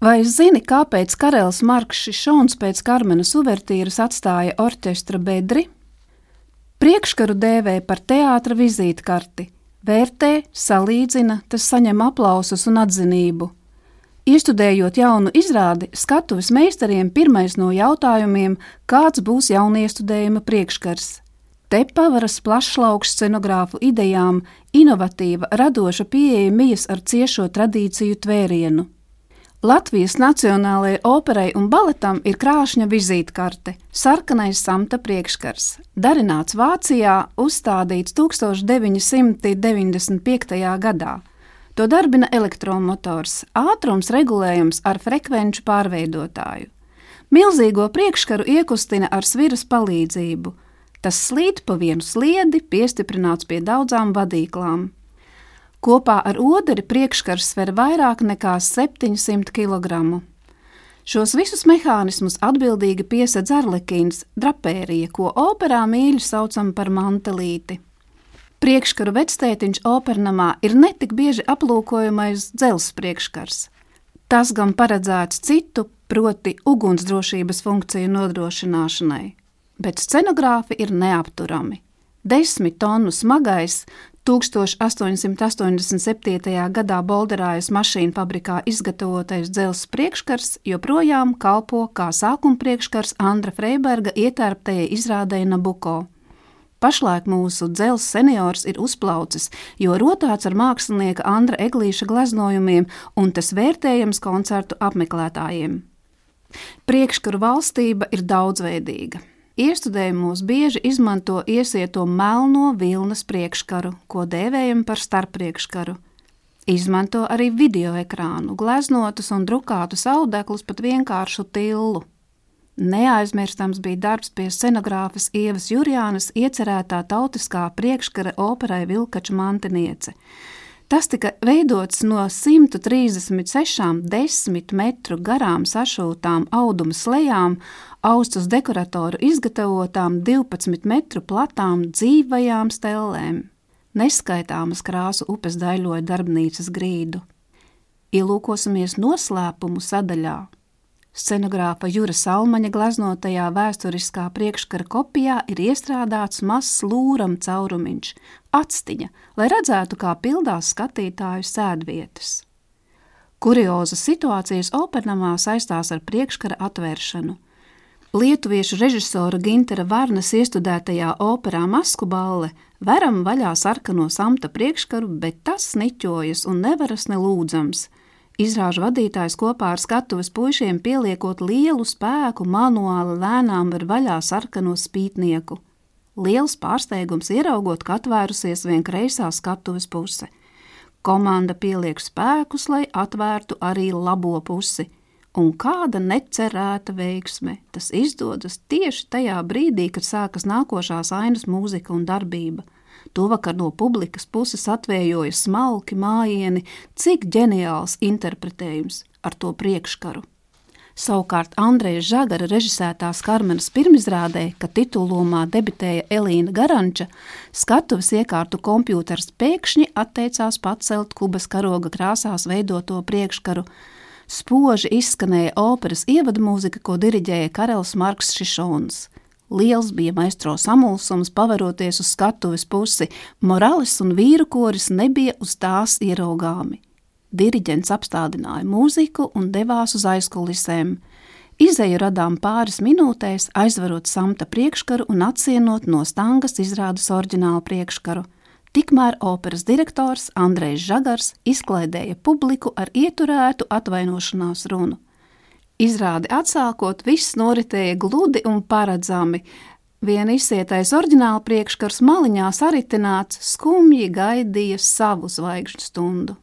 Vai zini, kāpēc karalis Marks Šišons pēc Karmenas uvertīras atstāja orķestra bedri? Priekškaru dēvē par teātra vizītkarti. Vērtē, salīdzina, tas saņem aplausus un atzinību. Iestudējot jaunu izrādi, skatuves meistariem pirmais no jautājumiem, kāds būs jauniestudējuma priekškars. Te pavaras plašs lauks scenogrāfu idejām, inovatīva, radoša pieeja mijas ar ciešo tradīciju tvērienu. Latvijas Nacionālajai operai un baletam ir krāšņa vizītkarte, sarkanais samta priekškars, darināts Vācijā, uzstādīts 1995. gadā. To darbina elektromotors, ātrums regulējams ar frekvenču pārveidotāju. Milzīgo priekškaru iekustina ar sviras palīdzību. Tas slīd pa vienu sliedi, piestiprināts pie daudzām vadīklām. Kopā ar oderi priekškars sver vairāk nekā 700 kg. Šos visus mehānismus atbildīgi piesedz arlekīns, drapērija, ko operā mīļi saucam par mantelīti. Priekškaru vectētiņš opernamā ir netik bieži aplūkojamais dzelzs priekškars. Tas gan paredzēts citu, proti ugunsdrošības funkciju nodrošināšanai, bet scenogrāfi ir neapturami. 10 tonu smagais 1887. gadā Bolderājas mašīnu fabrikā izgatavotais dzelzs priekškars joprojām kalpo kā sākuma priekškars Andra Freiberga ietērptajai izrādei Nabuko. Pašlaik mūsu dzelzs seniors ir uzplaucis, jo rotāts ar mākslinieka Andra Eglīša gleznojumiem, un tas vērtējams koncertu apmeklētājiem. Priekškaru valstība ir daudzveidīga. Iestudējumos bieži izmanto iesieto melno vilnas priekškaru, ko dēvējam par starppriekškaru. Izmanto arī videoekrānu, gleznotus un drukātus audeklus, pat vienkāršu tillu. Neaizmirstams bija darbs pie scenogrāfas Ievas Jurjānas iecerētā tautiskā priekškara operai Vilkaču mantiniece. Tas tika veidots no 136 10 metru garām sašūtām auduma slejām, austus dekoratoru izgatavotām 12 metru platām dzīvajām stellēm. Neskaitāmas krāsu upes daļoja darbnīcas grīdu. Ielūkosimies noslēpumu sadaļā. Scenogrāfa Jura Salmaņa gleznotajā vēsturiskā priekškara kopijā ir iestrādāts mazs lūram caurumiņš, atstiņa, lai redzētu, kā pildās skatītāju sēdvietas. Kuriozas situācijas opernamā saistās ar priekškara atvēršanu. Lietuviešu režisora Gintera Varnas iestudētajā operā Masku balle veram vaļā sarkano samta priekškaru, bet tas niķojas un nevaras nelūdzams. Izrāžu vadītājs kopā ar skatuves puišiem pieliekot lielu spēku manuāli lēnām var vaļā sarkano spītnieku. Liels pārsteigums ieraugot, ka atvērusies vien kreisā skatuves puse. Komanda pieliek spēkus, lai atvērtu arī labo pusi. Un kāda necerēta veiksme. Tas izdodas tieši tajā brīdī, kad sākas nākošās ainas mūzika un darbība. Tuvakar no publikas puses atvējoja smalki mājieni, cik ģeniāls interpretējums ar to priekškaru. Savukārt Andreja Žagara režisētās Karmenas pirmizrādē, kad titulomā debitēja Elīna Garanča, skatuves iekārtu kompjūters pēkšņi atteicās pacelt Kubas karoga krāsās veidoto priekškaru. Spoži izskanēja operas ievadmūzika, ko diriģēja karalis Marks Šišons. Liels bija maestro samulsums paveroties uz skatuves pusi, Morales un vīru koris nebija uz tās ieraugāmi. Diriģents apstādināja mūziku un devās uz aizkulisēm. Izeju radām pāris minūtēs, aizvarot samta priekškaru un atsienot no stangas izrādes oriģinālu priekškaru. Tikmēr operas direktors Andrejs Žagars izklaidēja publiku ar ieturētu atvainošanās runu. Izrādi atsākot, viss noritēja gludi un paredzami. Vien izsietais oriģināla priekškars maliņā saritināts skumji gaidīja savu zvaigžņu stundu.